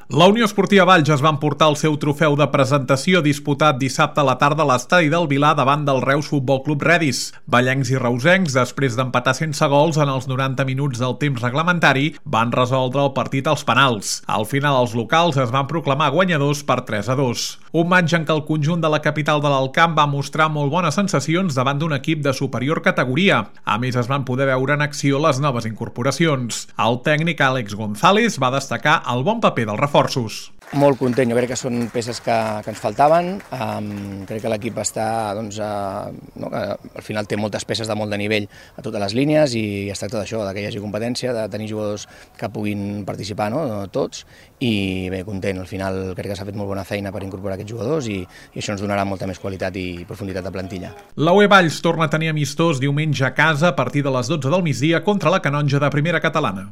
La Unió Esportiva Valls es va emportar el seu trofeu de presentació disputat dissabte a la tarda a l'estadi del Vilar davant del Reus Futbol Club Redis. Vallencs i reusencs, després d'empatar sense gols en els 90 minuts del temps reglamentari, van resoldre el partit als penals. Al final els locals es van proclamar guanyadors per 3-2. Un matx en què el conjunt de la capital de l'Alt Camp va mostrar molt bones sensacions davant d'un equip de superior categoria. A més, es van poder veure en acció les noves incorporacions. El tècnic Àlex González va destacar el bon paper del reforços. Molt content, jo crec que són peces que ens faltaven, crec que l'equip està, no, que al final té moltes peces de molt de nivell a totes les línies i es tracta d'això, que hi hagi competència, de tenir jugadors que puguin participar, no? Tots, i bé, content, al final crec que s'ha fet molt bona feina per incorporar aquests jugadors i això ens donarà molta més qualitat i profunditat de plantilla. La UE Valls torna a tenir amistós diumenge a casa a partir de les 12 del migdia contra la Canonja de Primera Catalana.